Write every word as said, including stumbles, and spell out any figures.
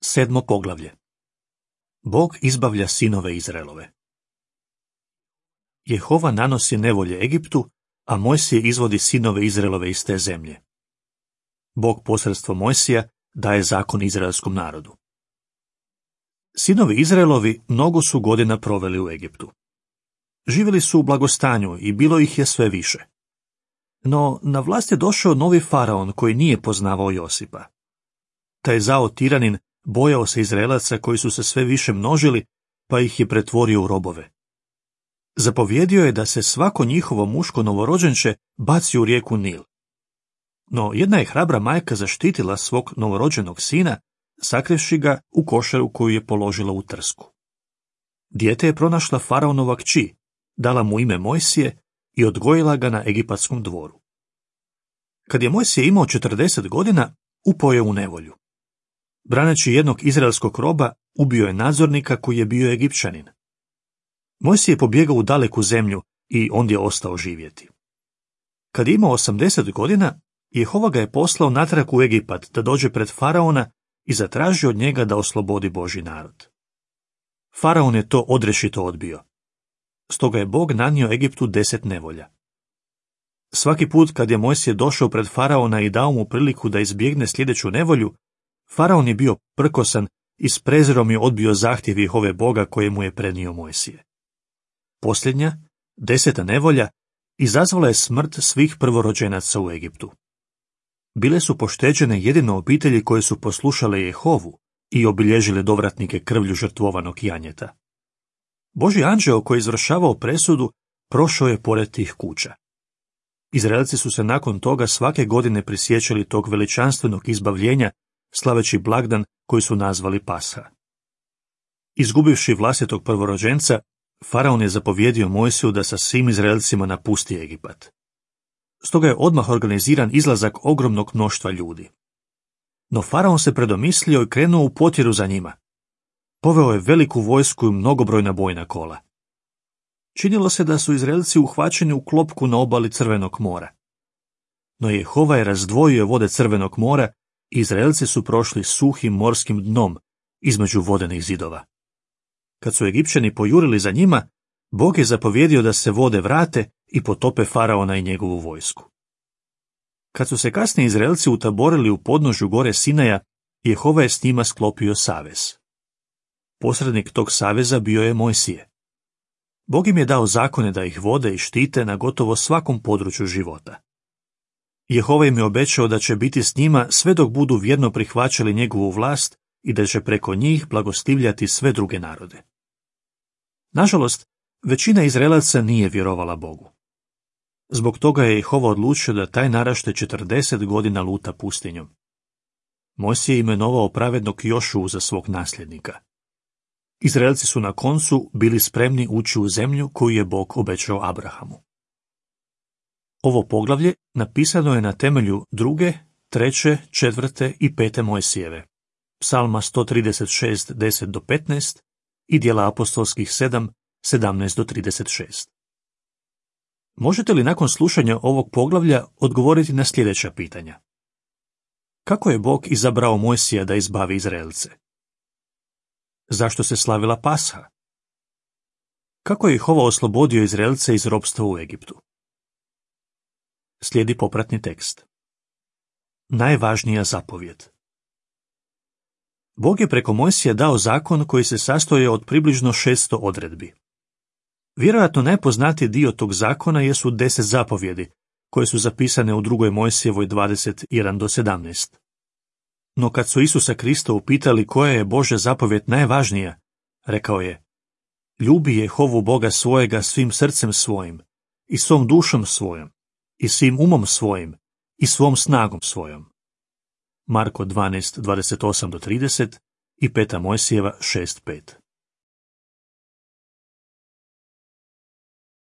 Sedmo poglavlje. Bog izbavlja sinove Izraelove. Jehova nanosi nevolje Egiptu, a Mojsije izvodi sinove Izraelove iz te zemlje. Bog posredstvom Mojsija daje zakon izraelskom narodu. Sinovi Izraelovi mnogo su godina proveli u Egiptu. Živjeli su u blagostanju i bilo ih je sve više. No na vlast je došao novi faraon koji nije poznavao Josipa. Taj zao tiranin bojao se Izraelaca koji su se sve više množili, pa ih je pretvorio u robove. Zapovjedio je da se svako njihovo muško novorođenče baci u rijeku Nil. No jedna je hrabra majka zaštitila svog novorođenog sina, sakrivši ga u košaru koju je položila u trsku. Dijete je pronašla faraonova kći, dala mu ime Mojsije i odgojila ga na egipatskom dvoru. Kad je Mojsije imao četrdeset godina, upao je u nevolju. Braneći jednog izraelskog roba, ubio je nadzornika koji je bio Egipćanin. Mojsije je pobjegao u daleku zemlju i ondje ostao živjeti. Kad je imao osamdeset godina, Jehova ga je poslao natrag u Egipat da dođe pred faraona i zatraži od njega da oslobodi Božji narod. Faraon je to odrješito odbio. Stoga je Bog nanio Egiptu deset nevolja. Svaki put kad je Mojsije došao pred faraona i dao mu priliku da izbjegne sljedeću nevolju, faraon je bio prkosan i s prezirom je odbio zahtjev Jehove Boga koje mu je prenio Mojsije. Posljednja, deseta nevolja, izazvala je smrt svih prvorođenaca u Egiptu. Bile su pošteđene jedino obitelji koje su poslušale Jehovu i obilježile dovratnike krvlju žrtvovanog janjeta. Božji anđeo koji je izvršavao presudu prošao je pored tih kuća. Izraelci su se nakon toga svake godine prisjećali tog veličanstvenog izbavljenja, slaveći blagdan koji su nazvali Pasha. Izgubivši vlastitog prvorođenca, faraon je zapovjedio Mojsiju da sa svim Izraelcima napusti Egipat. Stoga je odmah organiziran izlazak ogromnog mnoštva ljudi. No faraon se predomislio i krenuo u potjeru za njima. Poveo je veliku vojsku i mnogobrojna bojna kola. Činilo se da su Izraelci uhvaćeni u klopku na obali Crvenog mora. No Jehova je razdvojio vode Crvenog mora i Izraelci su prošli suhim morskim dnom između vodenih zidova. Kad su Egipćani pojurili za njima, Bog je zapovjedio da se vode vrate i potope faraona i njegovu vojsku. Kad su se kasnije Izraelci utaborili u podnožju gore Sinaja, Jehova je s njima sklopio savez. Posrednik tog saveza bio je Mojsije. Bog im je dao zakone da ih vode i štite na gotovo svakom području života. Jehova im je obećao da će biti s njima sve dok budu vjerno prihvaćali njegovu vlast i da će preko njih blagostivljati sve druge narode. Nažalost, većina Izraelaca nije vjerovala Bogu. Zbog toga je Jehova odlučio da taj naraštaj četrdeset godina luta pustinjom. Mojsije je imenovao pravednog Jošuu za svog nasljednika. Izraelci su na koncu bili spremni ući u zemlju koju je Bog obećao Abrahamu. Ovo poglavlje napisano je na temelju druge, treće, četvrte i pete Mojsijeve, Psalma sto trideset šest, deset do petnaest i Djela apostolskih sedam, sedamnaest do trideset šest. Možete li nakon slušanja ovog poglavlja odgovoriti na sljedeća pitanja? Kako je Bog izabrao Mojsija da izbavi Izraelce? Zašto se slavila Pasha? Kako je Jehova oslobodio Izraelce iz ropstva u Egiptu? Slijedi popratni tekst. Najvažnija zapovjed. Bog je preko Mojsija dao zakon koji se sastoji od približno šesto odredbi. Vjerojatno najpoznatiji dio tog zakona jesu deset zapovjedi, koje su zapisane u drugoj Mojsijevoj dvadeset jedan do sedamnaest. No kad su Isusa Krista upitali koja je Božja zapovjed najvažnija, rekao je: ljubi Jehovu Boga svojega svim srcem svojim, i svom dušom svojom, i svim umom svojim, i svom snagom svojom. Marko dvanaest, dvadeset osam do trideset i peta Mojsijeva šest pet.